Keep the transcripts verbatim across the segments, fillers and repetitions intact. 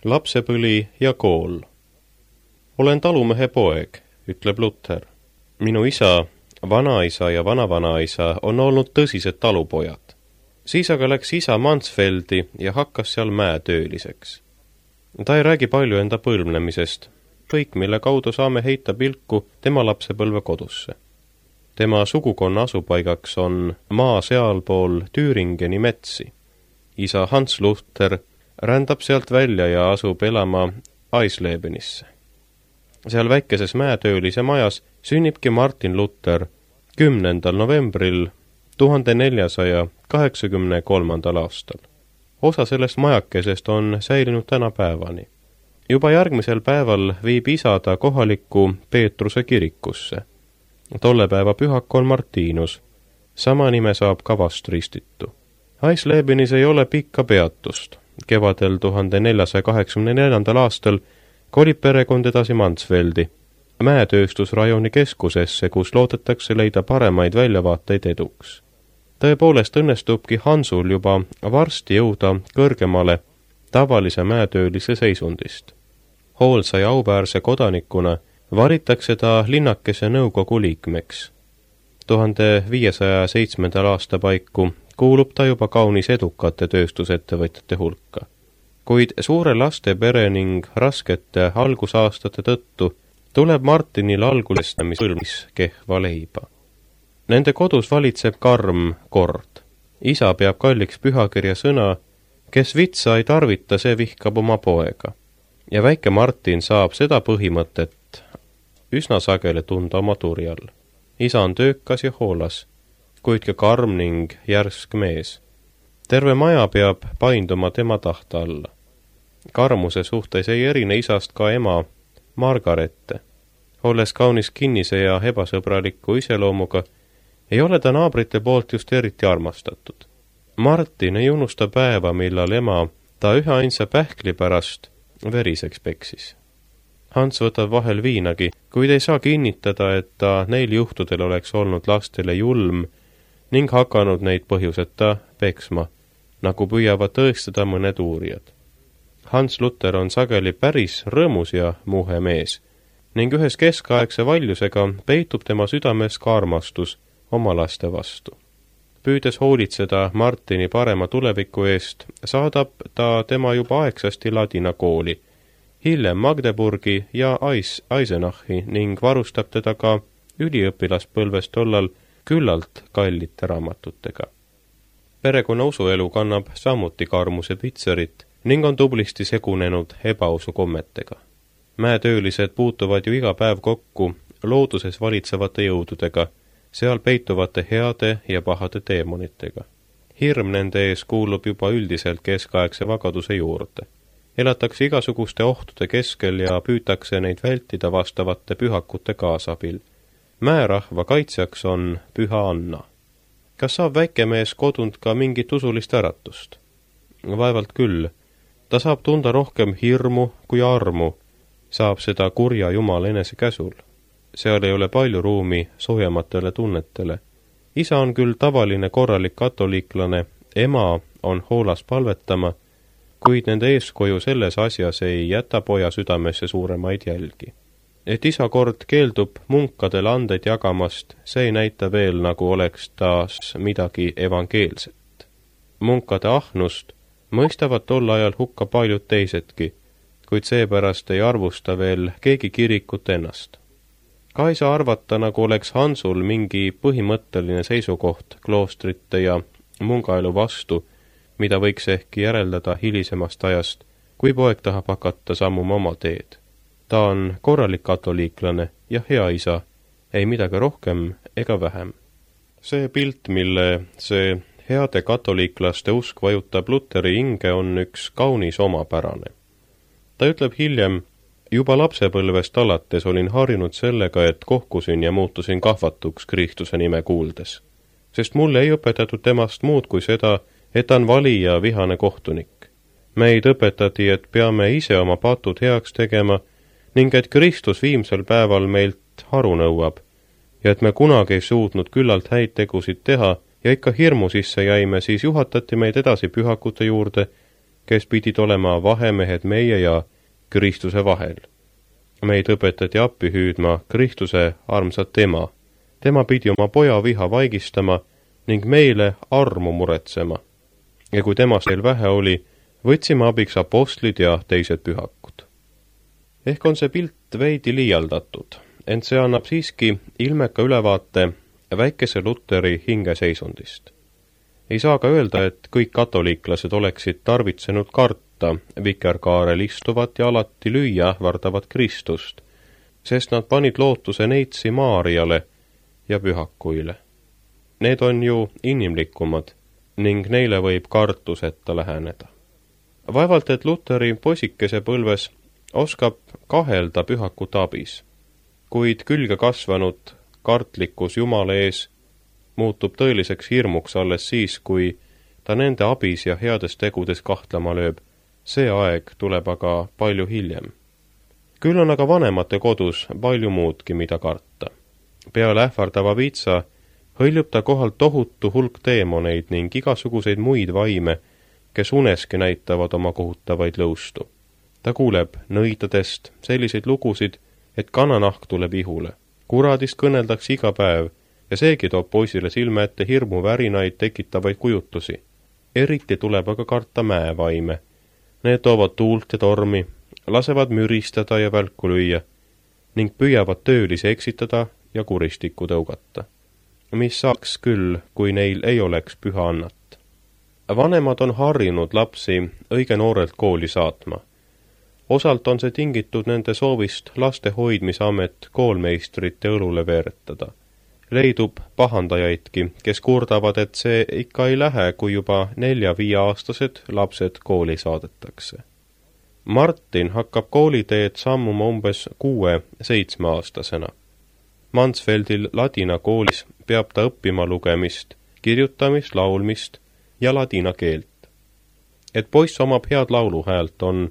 Lapsepõli ja kool. Olen talumehe poeg, ütleb Luther. Minu isa, vanaisa ja vanavanaisa on olnud tõsised talupojad. Siis aga läks isa Mansfeldi ja hakkas seal mäetööliseks. Ta ei räägi palju enda põlvnemisest, kõik mille kaudu saame heita pilku tema lapsepõlve kodusse. Tema sugukonna asupaigaks on maa sealpool Tüüringeni metsi. Isa Hans Luther rändab sealt välja ja asub elama Eislebenisse. Seal väikeses mäetöölise majas sünnibki Martin Luther kümnendal novembril tuhande neljasaja kaheksakümne kolmandal aastal. Osa sellest majakesest on säilinud tänapäevani. Juba järgmisel päeval viib isa ta kohalikku Peetruse kirikusse. Tolle päeva pühak on Martinus. Sama nime saab ka vast ristitu. Eislebenis ei ole pikka peatust. Kevadel tuhande neljasaja kaheksakümne neljandal aastal kolib perekond edasi Mansfeldi, mäetööstusrajoni keskusesse, kus loodetakse leida paremaid väljavaateid eduks. Tõepoolest õnnestubki Hansul juba varsti jõuda kõrgemale tavalise mäetöölise seisundist. Hoolsa ja auväärse kodanikuna varitakse ta linnakese nõukogu liikmeks. tuhande viiesaja seitsmendal aasta paiku kuulub ta juba kaunis edukate tööstusettevõtjate hulka. Kuid suure laste pere ning raskete algusaastate tõttu tuleb Martinil algulestamis põlvis kehva leiba. Nende kodus valitseb karm kord. Isa peab kalliks pühakirja sõna, kes vitsa ei tarvita, see vihkab oma poega. Ja väike Martin saab seda põhimõtet üsna sageli tunda oma turjal. Isa on töökas ja hoolas, kuid ka karm ning järsk mees. Terve maja peab painduma tema tahta alla. Karmuse suhtes ei erine isast ka ema Margarete. Olles kaunis kinnise ja ebasõbraliku iseloomuga, ei ole ta naabrite poolt just eriti armastatud. Martin ei unusta päeva, millal ema ta ühe ainsa pähkli pärast veriseks peksis. Hans võtab vahel viinagi, kuid ei saa kinnitada, et ta neil juhtudel oleks olnud lastele julm ning hakanud neid põhjuseta peksma, nagu püüavad tõestada mõned uurijad. Hans Luther on sageli päris rõõmus ja muhe mees ning ühes keskaegse valjusega peitub tema südames ka armastus oma laste vastu. Püüdes hoolitseda Martini parema tuleviku eest, saadab ta tema juba aegsasti ladina kooli, hiljem Magdeburgi ja Eis, Eisenachi ning varustab teda ka üliõpilaspõlves tollal küllalt kallite raamatutega. Perekonna usuelu kannab samuti karmuse pitserit ning on tublisti segunenud ebausu kommetega. Mäetöölised puutuvad ju iga päev kokku looduses valitsevate jõududega, seal peituvate heade ja pahade teemonitega. Hirm nende ees kuulub juba üldiselt keskaegse vagaduse juurde. Elatakse igasuguste ohtude keskel ja püütakse neid vältida vastavate pühakute kaasabil. Mäerahva kaitsjaks on Püha Anna. Kas saab väikemees kodunt ka mingit usulist äratust? Vaevalt küll. Ta saab tunda rohkem hirmu kui armu, saab seda kurja Jumala enese käsul. Seal ei ole palju ruumi soojamatele tunnetele. Isa on küll tavaline korralik katoliiklane, ema on hoolas palvetama, kuid nende eeskoju selles asjas ei jäta poja südamesse suuremaid jälgi. Et isa kord keeldub munkadele andeid jagamast, see ei näita veel, nagu oleks taas midagi evangeelset. Munkade ahnust mõistavad tol ajal hukka paljud teisedki, kuid seepärast ei arvusta veel keegi kirikut ennast. Ka ei saa arvata, nagu oleks Hansul mingi põhimõtteline seisukoht kloostrite ja mungaelu vastu, mida võiks ehk järeldada hilisemast ajast, kui poeg tahab hakata sammuma oma teed. Ta on korralik katoliiklane ja hea isa, ei midagi rohkem ega vähem. See pilt, mille see heade katoliiklaste usk vajutab Lutheri hinge, on üks kaunis omapärane. Ta ütleb hiljem, juba lapsepõlvest alates olin harjunud sellega, et kohkusin ja muutusin kahvatuks Kristuse nime kuuldes. Sest mulle ei õpetatud temast muud kui seda, et ta on vali ja vihane kohtunik. Meid õpetati, et peame ise oma patud heaks tegema ning et Kristus viimsel päeval meilt haru nõuab ja et me kunagi ei suutnud küllalt häid tegusid teha ja ikka hirmu sisse jäime, siis juhatati meid edasi pühakute juurde, kes pidid olema vahemehed meie ja Kristuse vahel. Meid õpetati appi hüüdma Kristuse armsat ema. Tema pidi oma poja viha vaigistama ning meile armu muretsema. Ja kui temast veel vähe oli, võtsime abiks apostlid ja teised pühakud. Ehk on see pilt veidi liialdatud, ent see annab siiski ilmeka ülevaate väikese Luteri hingeseisundist. Ei saa ka öelda, et kõik katoliiklased oleksid tarvitsenud karta vikerkaarel istuvat ja alati lüüa ähvardavat Kristust, sest nad panid lootuse neitsi Maariale ja pühakuile. Need on ju inimlikumad ning neile võib kartuseta läheneda. Vaevalt, et Luteri poisikese põlves oskab kahelda pühakute abis, kuid külge kasvanud kartlikkus Jumala ees muutub tõeliseks hirmuks alles siis, kui ta nende abis ja heades tegudes kahtlema lööb. See aeg tuleb aga palju hiljem. Küll on aga vanemate kodus palju muudki, mida karta. Peale ähvardava viitsa hõljub ta kohalt tohutu hulk teemoneid ning igasuguseid muid vaime, kes uneski näitavad oma kohutavaid lõustu. Ta kuuleb nõidadest selliseid lugusid, et kananahk tuleb ihule. Kuradist kõneldakse iga päev ja seegi toob poisile silme ette hirmu värinaid tekitavaid kujutusi. Eriti tuleb aga karta mäevaime. Need toovad tuult ja tormi, lasevad müristada ja välku lüüa ning püüavad töölisi eksitada ja kuristikku tõugata. Mis saaks küll, kui neil ei oleks püha annat. Vanemad on harjunud lapsi õige noorelt kooli saatma. Osalt on see tingitud nende soovist laste hoidmisamet koolmeistrite õlule veeretada. Leidub pahandajaidki, kes kurdavad, et see ikka ei lähe, kui juba nelja-viie-aastased lapsed kooli saadetakse. Martin hakkab kooliteed sammuma umbes kuue-seitsme-aastasena. Mansfeldil ladina koolis peab ta õppima lugemist, kirjutamist, laulmist ja ladina keelt. Et poiss omab head lauluhäält, on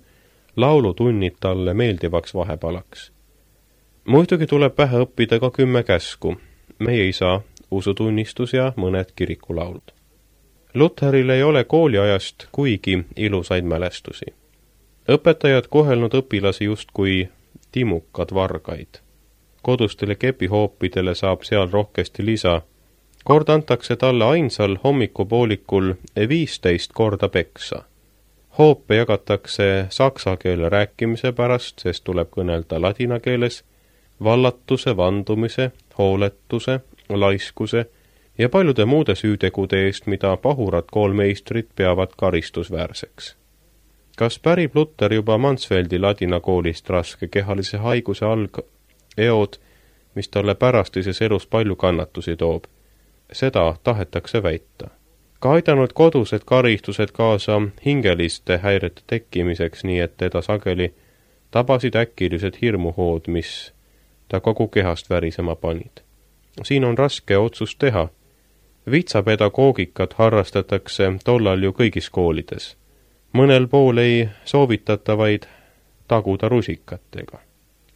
laulutunnid talle meeldivaks vahepalaks. Muidugi tuleb pähe õppida ka kümme käsku, meie isa, usutunnistus ja mõned kirikulaulud. Lutheril ei ole kooliajast kuigi ilusaid mälestusi. Õpetajad kohelnud õpilasi justkui timukad vargaid. Kodustele kepihoopidele saab seal rohkesti lisa. Kord antakse talle ainsal hommikupoolikul viisteist korda peksa. Hoope jagatakse saksa keele rääkimise pärast, sest tuleb kõnelda ladina keeles, vallatuse, vandumise, hooletuse, laiskuse ja paljude muude süütegude eest, mida pahurad koolmeistrid peavad karistusväärseks. Kas pärib Luther juba Mansfeldi ladina koolist raske kehalise haiguse alg eod, mis talle pärastises elus palju kannatusi toob? Seda tahetakse väita. Ka aidanud kodused karistused kaasa hingeliste häirete tekkimiseks, nii et teda sageli tabasid äkilised hirmuhood, mis ta kogu kehast värisema panid. Siin on raske otsust teha. Vitsapedagoogikat harrastatakse tollal ju kõigis koolides. Mõnel pool ei soovitata vaid taguda rusikatega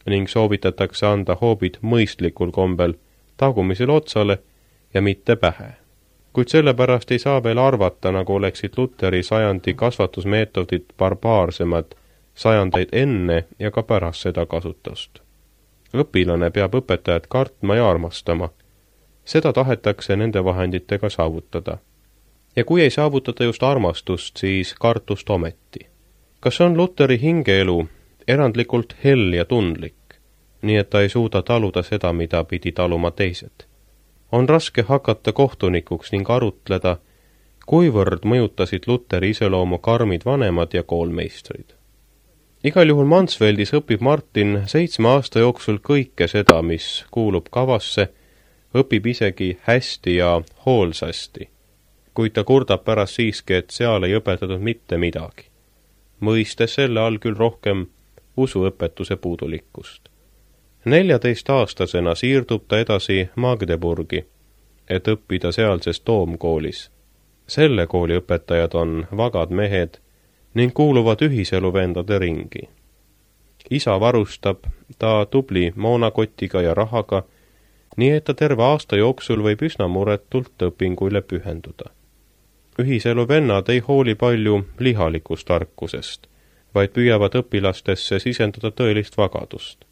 ning soovitatakse anda hoobid mõistlikul kombel tagumisel otsale ja mitte pähe. Kuid sellepärast ei saa veel arvata, nagu oleksid Lutheri sajandi kasvatusmeetodid barbaarsemad sajandeid enne ja ka pärast seda kasutust. Õpilane peab õpetajat kartma ja armastama. Seda tahetakse nende vahenditega saavutada. Ja kui ei saavutada just armastust, siis kartust ometi. Kas on Lutheri hingeelu erandlikult hell ja tundlik, nii et ta ei suuda taluda seda, mida pidi taluma teised? On raske hakata kohtunikuks ning arutleda, kuivõrd mõjutasid Lutheri iseloomu karmid vanemad ja koolmeistrid. Igal juhul Mansfeldis õpib Martin seitsme aasta jooksul kõike seda, mis kuulub kavasse, õpib isegi hästi ja hoolsasti, kuid ta kurdab pärast siiski, et seal ei õpetatud mitte midagi, mõistes selle all küll rohkem usuõpetuse puudulikkust. Neljateist-aastasena siirdub ta edasi Magdeburgi, et õppida sealses toomkoolis. Selle kooli õpetajad on vagad mehed ning kuuluvad ühiseluvendade ringi. Isa varustab ta tubli moonakotiga ja rahaga, nii et ta terve aasta jooksul võib üsna muretult õpinguile pühenduda. Ühiselu vennad ei hooli palju lihalikust tarkusest, vaid püüavad õpilastesse sisendada tõelist vagadust.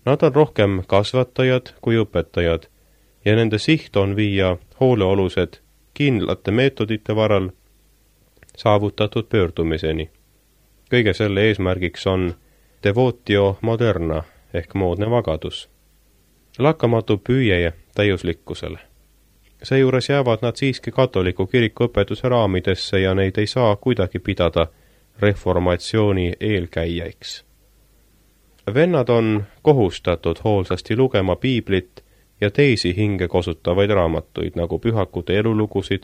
Nad on rohkem kasvatajad kui õpetajad ja nende siht on viia hooleolused kindlate meetodite varal saavutatud pöördumiseni. Kõige selle eesmärgiks on devotio moderna ehk moodne vagadus. Lakkamatu püüe täiuslikkusele. Seejuures jäävad nad siiski katoliku kiriku õpetuse raamidesse ja neid ei saa kuidagi pidada reformatsiooni eelkäijaiks. Vennad on kohustatud hoolsasti lugema piiblit ja teisi hinge kosutavaid raamatuid, nagu pühakute elulugusid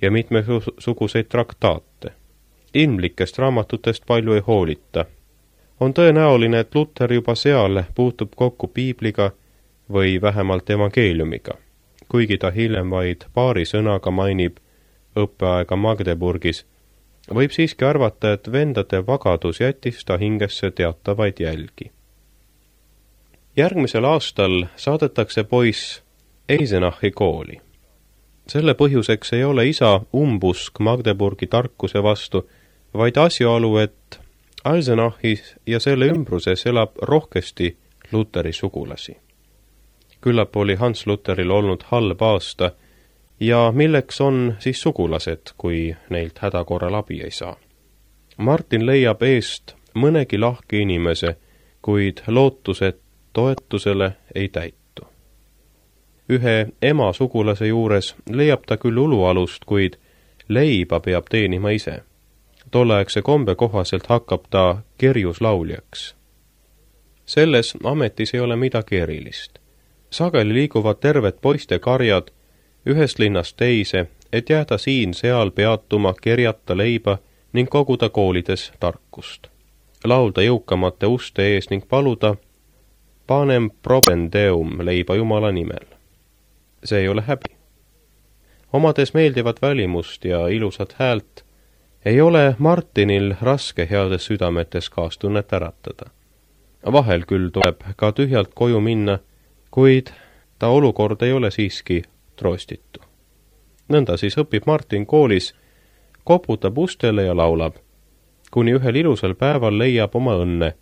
ja mitmesuguseid traktaate. Ilmlikest raamatutest palju ei hoolita. On tõenäoline, et Luther juba seal puutub kokku piibliga või vähemalt evangeeliumiga, kuigi ta hiljem vaid paari sõnaga mainib õppeaega Magdeburgis, võib siiski arvata, et vendade vagadus jättis ta hingesse teatavaid jälgi. Järgmisel aastal saadetakse poiss Eisenachi kooli. Selle põhjuseks ei ole isa umbusk Magdeburgi tarkuse vastu, vaid asjaolu, et Eisenachis ja selle ümbruses elab rohkesti Lutheri sugulasi. Küllap oli Hans Lutheril olnud halb aasta ja milleks on siis sugulased, kui neilt hädakorral abi ei saa. Martin leiab eest mõnegi lahke inimese, kuid lootused toetusele ei täitu. Ühe ema sugulase juures leiab ta küll ulualust, kuid leiba peab teenima ise. Tolleaegse kombe kohaselt hakkab ta kerjuslauljaks. Selles ametis ei ole midagi erilist. Sageli liiguvad terved poiste karjad ühest linnast teise, et jääda siin-seal peatuma, kerjata leiba ning koguda koolides tarkust. Laulda jõukamate uste ees ning paluda panem probendeum leiba Jumala nimel. See ei ole häbi. Omades meeldivat välimust ja ilusat häält, ei ole Martinil raske heades südametes kaastunnet äratada. Vahel küll tuleb ka tühjalt koju minna, kuid ta olukord ei ole siiski troostitu. Nõnda siis õpib Martin koolis, koputab ustele ja laulab, kuni ühel ilusal päeval leiab oma õnne.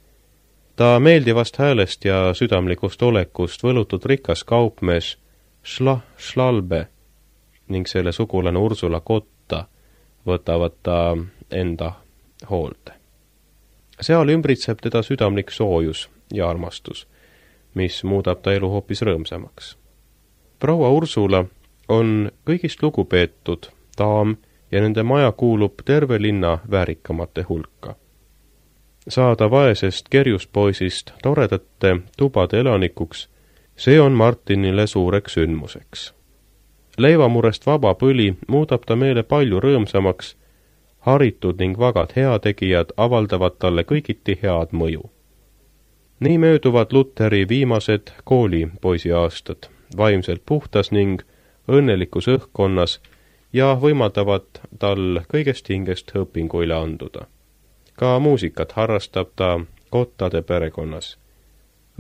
Ta meeldivast häälest ja südamlikust olekust võlutud rikas kaupmees Schla Schlalbe ning selle sugulane Ursula Kotta võtavad ta enda hoolde. Seal ümbritseb teda südamlik soojus ja armastus, mis muudab ta elu hoopis rõõmsamaks. Proua Ursula on kõigist lugupeetud daam ja nende maja kuulub terve linna väärikamate hulka. Saada vaesest kerjuspoisist toredate tubade elanikuks, see on Martinile suureks sündmuseks. Leivamurest vaba põli muudab ta meele palju rõõmsamaks, haritud ning vagad heategijad avaldavad talle kõigiti head mõju. Nii mööduvad Lutheri viimased koolipoisi aastad, vaimselt puhtas ning õnnelikus õhkkonnas ja võimaldavad tal kõigest hingest õpinguile anduda. Ka muusikat harrastab ta Kottade perekonnas.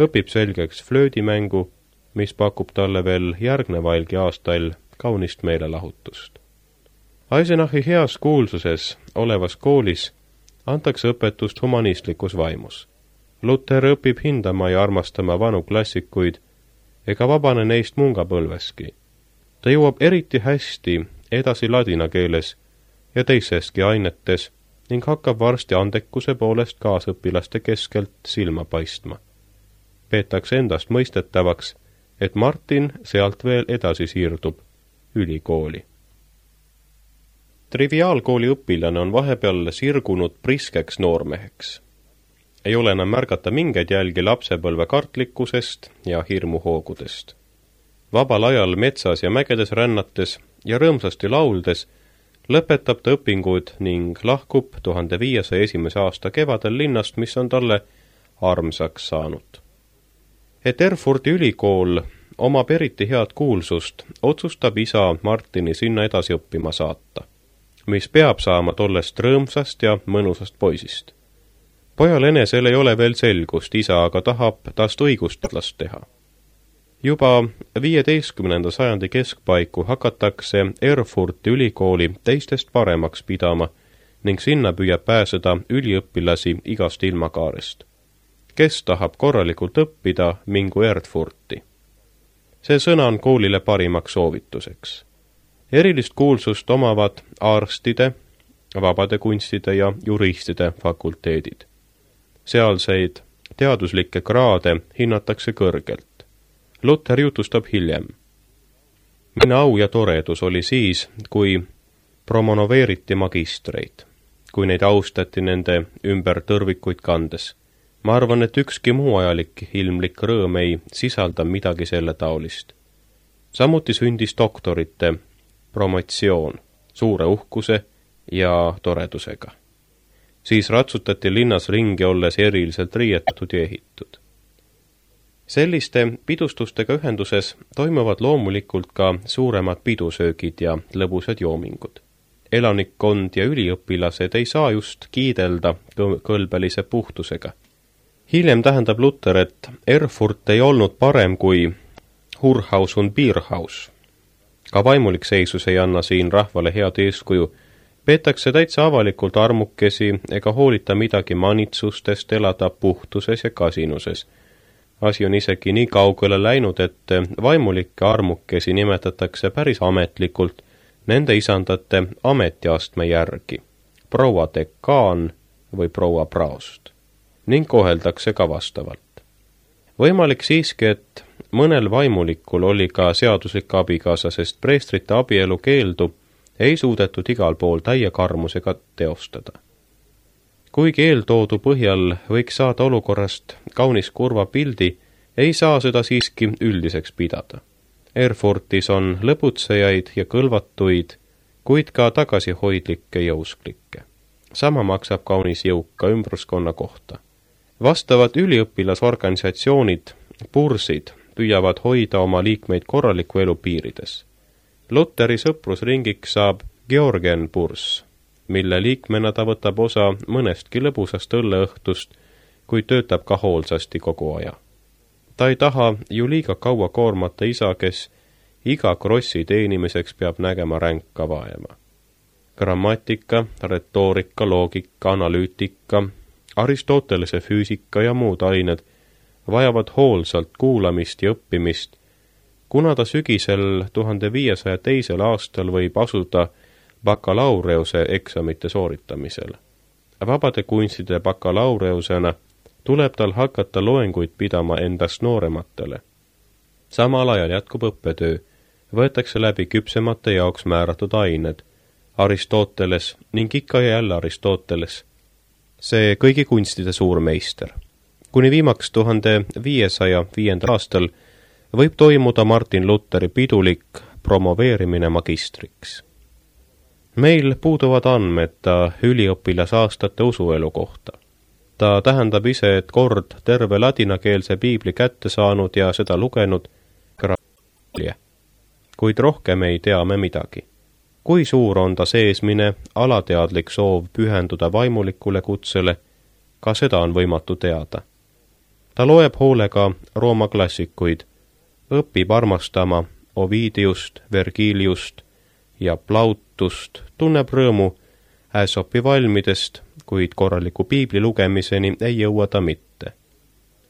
Õpib selgeks flöödimängu, mis pakub talle veel järgnevailgi aastail kaunist meelelahutust. Eisenachi heas kuulsuses olevas koolis antakse õpetust humanistlikus vaimus. Luther õpib hindama ja armastama vanu klassikuid ega vabane neist mungapõlveski. Ta jõuab eriti hästi edasi ladina keeles ja teiseski ainetes ning hakkab varsti andekuse poolest kaasõpilaste keskelt silma paistma. Peetakse endast mõistetavaks, et Martin sealt veel edasi siirdub ülikooli. Triviaalkooli õpilane on vahepeal sirgunud priskeks noormeheks. Ei ole enam märgata mingeid jälgi lapsepõlve kartlikkusest ja hirmuhoogudest. Vabal ajal metsas ja mägedes rännates ja rõõmsasti lauldes lõpetab ta õpingud ning lahkub tuhande viiesaja esimese aasta kevadel linnast, mis on talle armsaks saanud. Et Erfurti ülikool omab eriti head kuulsust, otsustab isa Martini sinna edasi õppima saata, mis peab saama tollest rõõmsast ja mõnusast poisist. Pojal enesel ei ole veel selgust, isa aga tahab tast õigusteadlast teha. Juba viieteistkümnenda sajandi keskpaiku hakatakse Erfurti ülikooli teistest paremaks pidama ning sinna püüab pääseda üliõpilasi igast ilmakaarest. Kes tahab korralikult õppida, mingu Erfurti. See sõna on koolile parimaks soovituseks. Erilist kuulsust omavad arstide, vabade kunstide ja juristide fakulteedid. Sealseid teaduslikke kraade hinnatakse kõrgelt. Luther jutustab hiljem. Minu au ja toredus oli siis, kui promoveeriti magistreid, kui neid austati nende ümber tõrvikuid kandes. Ma arvan, et ükski muu ajalik ilmlik rõõm ei sisalda midagi selle taolist. Samuti sündis doktorite promotsioon suure uhkuse ja toredusega. Siis ratsutati linnas ringi olles eriliselt riietatud ja ehitud. Selliste pidustustega ühenduses toimuvad loomulikult ka suuremad pidusöögid ja lõbusad joomingud. Elanikkond ja üliõpilased ei saa just kiidelda kõlbelise puhtusega. Hiljem tähendab Luther, et Erfurt ei olnud parem kui Hurhaus und Bierhaus. Ka vaimulik seisus ei anna siin rahvale head eeskuju. Peetakse täitsa avalikult armukesi ega hoolita midagi manitsustest elada puhtuses ja kasinuses. Asi on isegi nii kaugele läinud, et vaimulikke armukesi nimetatakse päris ametlikult nende isandate ametiastme järgi, proua dekaan või proua praost, ning koheldakse ka vastavalt. Võimalik siiski, et mõnel vaimulikul oli ka seaduslik abikaasa, sest preestrite abielu keeldu ei suudetud igal pool täie karmusega teostada. Kuigi eeltoodu põhjal võiks saada olukorrast kaunis kurva pildi, ei saa seda siiski üldiseks pidada. Erfurtis on lõbutsejaid ja kõlvatuid, kuid ka tagasihoidlikke jõusklikke. Sama maksab kaunis jõuka ümbruskonna kohta. Vastavad üliõpilasorganisatsioonid, pursid, püüavad hoida oma liikmeid korraliku elu piirides. Lutheri sõprusringiks saab Georgen Purs, mille liikmena ta võtab osa mõnestki lõbusast õlleõhtust, kuid töötab ka hoolsasti kogu aja. Ta ei taha ju liiga kaua koormata isa, kes iga krossi teenimiseks peab nägema ränka vaeva. Grammatika, retoorika, loogika, analüütika, Aristotelese füüsika ja muud ained vajavad hoolsalt kuulamist ja õppimist, kuna ta sügisel tuhande viiesaja teisel aastal võib asuda bakalaureuse eksamite sooritamisel. Vabade kunstide bakalaureusena tuleb tal hakata loenguid pidama endast noorematele. Samal ajal jätkub õppetöö, võetakse läbi küpsemate jaoks määratud ained, Aristoteles ning ikka ja jälle Aristoteles, see kõigi kunstide suur meister. Kuni viimaks tuhande viiesaja viiendal aastal võib toimuda Martin Lutheri pidulik promoveerimine magistriks. Meil puuduvad andmed ta üliõpilasaastate usuelu kohta. Ta tähendab ise, et kord terve ladinakeelse piibli kätte saanud ja seda lugenud, kuid rohkem ei tea me midagi. Kui suur on ta seesmine alateadlik soov pühenduda vaimulikule kutsele, ka seda on võimatu teada. Ta loeb hoolega Rooma klassikuid, õpib armastama Ovidiust, Vergiliust ja Plautust, tunneb rõõmu Äsopi valmidest, kuid korraliku piibli lugemiseni ei jõua ta mitte.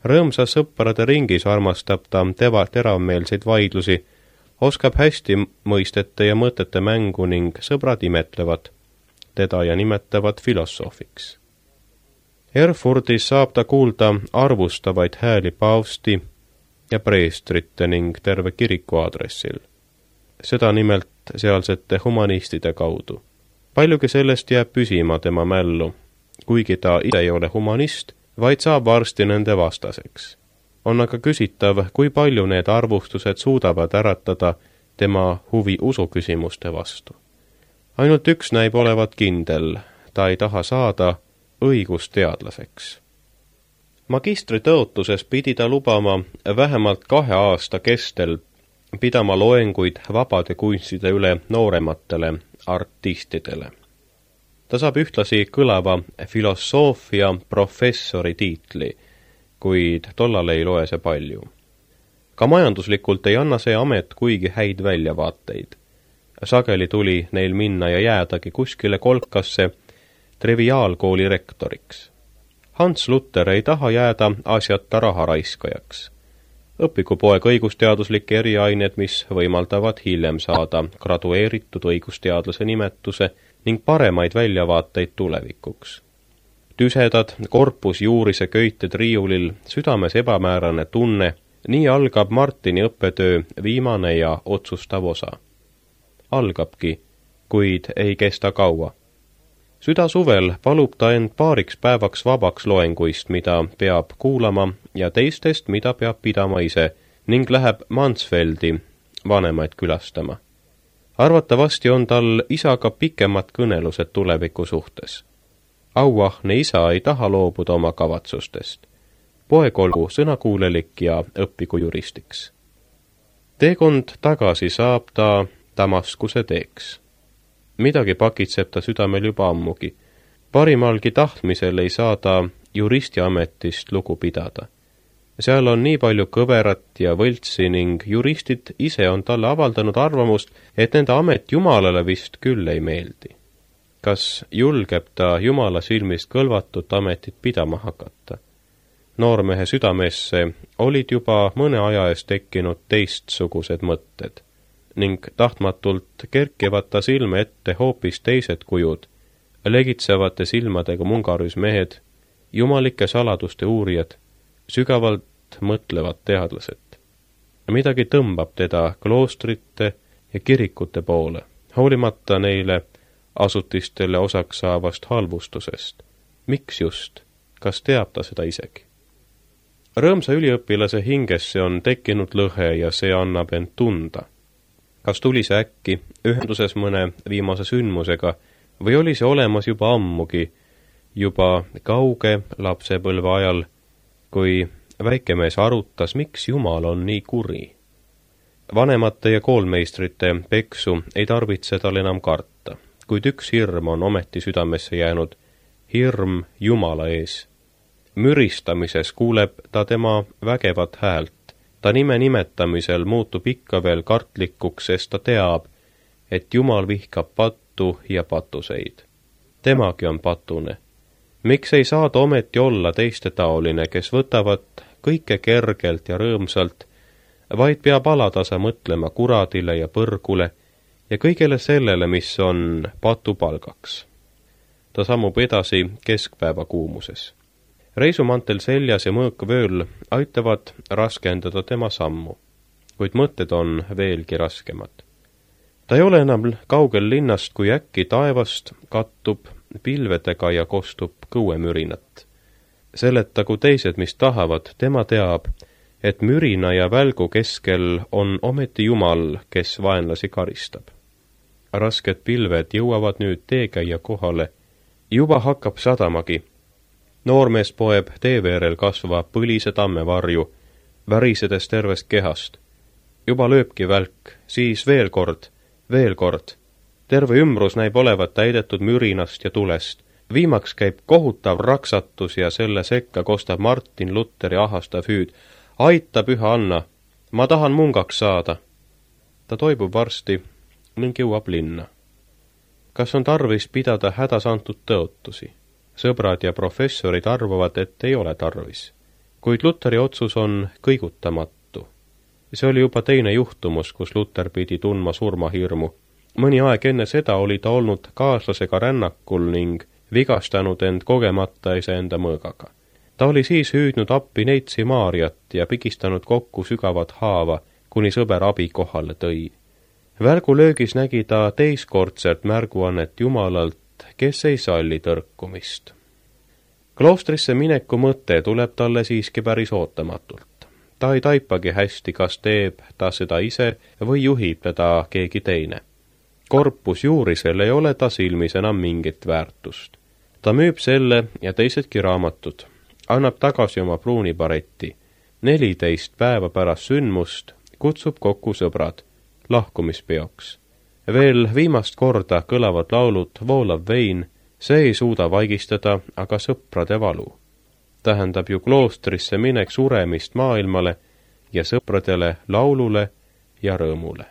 Rõõmsa sõprade ringis armastab ta teva teravmeelseid vaidlusi, oskab hästi mõistete ja mõtete mängu ning sõbrad imetlevad teda ja nimetavad filosoofiks. Erfurtis saab ta kuulda arvustavaid hääli paavsti ja preestrite ning terve kiriku aadressil. Seda nimelt sealsete humanistide kaudu. Paljugi sellest jääb püsima tema mällu, kuigi ta ise ei ole humanist, vaid saab varsti nende vastaseks. On aga küsitav, kui palju need arvustused suudavad äratada tema huvi usuküsimuste vastu. Ainult üks näib olevat kindel, ta ei taha saada õigusteadlaseks. Magistri tõotuses pidi ta lubama vähemalt kahe aasta kestel pidama loenguid vabade kunstide üle noorematele artistidele. Ta saab ühtlasi kõlava filosoofia professori tiitli, kuid tollal ei loe see palju. ka majanduslikult ei anna see amet kuigi häid väljavaateid. Sageli tuli neil minna ja jäädagi kuskile kolkasse triviaalkooli rektoriks. Hans Luther ei taha jääda asjata raharaiskajaks. Õpigu poeg õigusteaduslikke eriained, mis võimaldavad hiljem saada gradueeritud õigusteadlase nimetuse ning paremaid väljavaateid tulevikuks. Tüsedad korpusjuurise köited riiulil, südames ebamäärane tunne, nii algab Martini õppetöö viimane ja otsustav osa. Algabki, kuid ei kesta kaua. Süda suvel palub ta end paariks päevaks vabaks loenguist, mida peab kuulama, ja teistest, mida peab pidama ise, ning läheb Mansfeldi vanemaid külastama. Arvatavasti on tal isaga pikemad kõnelused tuleviku suhtes. Auahne isa ei taha loobuda oma kavatsustest. Poeg olgu sõnakuulelik ja õppigu juristiks. Teekond tagasi saab ta Damaskuse teeks. Midagi pakitseb ta südamel juba ammugi. Parimalgi tahtmisel ei saa ta juristiametist lugu pidada. Seal on nii palju kõverat ja võltsi ning juristid ise on talle avaldanud arvamust, et nende amet Jumalale vist küll ei meeldi. Kas julgeb ta Jumala silmist kõlvatut ametit pidama hakata? Noormehe südamesse olid juba mõne aja eest tekkinud teistsugused mõtted ning tahtmatult kerkivad ta silme ette hoopis teised kujud, legitsevate silmadega mungarüs mehed, jumalike saladuste uurijad, sügavalt mõtlevad teadlased. Midagi tõmbab teda kloostrite ja kirikute poole, hoolimata neile asutistele osaks saavast halvustusest. Miks just? Kas teab ta seda isegi? Rõõmsa üliõpilase hingesse on tekkinud lõhe ja see annab end tunda. Kas tuli see äkki ühenduses mõne viimase sündmusega või oli see olemas juba ammugi, juba kauge lapsepõlve ajal, kui väikemees arutas, miks Jumal on nii kuri. Vanemate ja koolmeistrite peksu ei tarvitse tal enam karta, kuid üks hirm on ometi südamesse jäänud, hirm Jumala ees. Müristamises kuuleb ta tema vägevat häält. Ta nime nimetamisel muutub ikka veel kartlikuks, sest ta teab, et Jumal vihkab pattu ja patuseid. Temagi on patune. Miks ei saa ta ometi olla teiste taoline, kes võtavad kõike kergelt ja rõõmsalt, vaid peab alatasa mõtlema kuradile ja põrgule ja kõigele sellele, mis on patupalgaks. Ta sammub edasi keskpäeva kuumuses. Reisumantel seljas ja mõõk vööl aitavad raskendada tema sammu, kuid mõtted on veelgi raskemad. Ta ei ole enam kaugel linnast, kui äkki taevast kattub pilvedega ja kostub kõuemürinat. Seletagu teised, mis tahavad, tema teab, et mürina ja välgu keskel on ometi Jumal, kes vaenlasi karistab. Rasked pilved jõuavad nüüd teekäija kohale, juba hakkab sadamagi. Noormees poeb teeveerel kasva põlise tammevarju, värisedes tervest kehast. Juba lööbki välk, siis veel kord, veel kord. Terve ümbrus näib olevat täidetud mürinast ja tulest. Viimaks käib kohutav raksatus ja selle sekka kostab Martin Lutheri ahastav hüüd. Aita, püha Anna, ma tahan mungaks saada. Ta toibub varsti ning jõuab linna. Kas on tarvis pidada hädas antud tõotusi? Sõbrad ja professorid arvavad, et ei ole tarvis. Kuid Lutheri otsus on kõigutamatu. See oli juba teine juhtumus, kus Luther pidi tundma surmahirmu. Mõni aeg enne seda oli ta olnud kaaslasega rännakul ning vigastanud end kogemata iseenda mõõgaga. Ta oli siis hüüdnud appi neitsi Maariat ja pigistanud kokku sügavat haava, kuni sõber abi kohale tõi. Välgulöögis nägi ta teiskordselt märguannet Jumalalt, kes ei salli tõrkumist. Kloostrisse mineku mõte tuleb talle siiski päris ootamatult. Ta ei taipagi hästi, kas teeb ta seda ise või juhib teda keegi teine. Korpus juurisel ei ole ta silmis enam mingit väärtust. Ta müüb selle ja teisedki raamatud, annab tagasi oma pruunibaretti. Neliteist päeva pärast sündmust kutsub kokku sõbrad lahkumispeoks. Veel viimast korda kõlavad laulud Voolav vein, see ei suuda vaigistada, aga sõprade valu. Tähendab ju kloostrisse minek suremist maailmale ja sõpradele laulule ja rõõmule.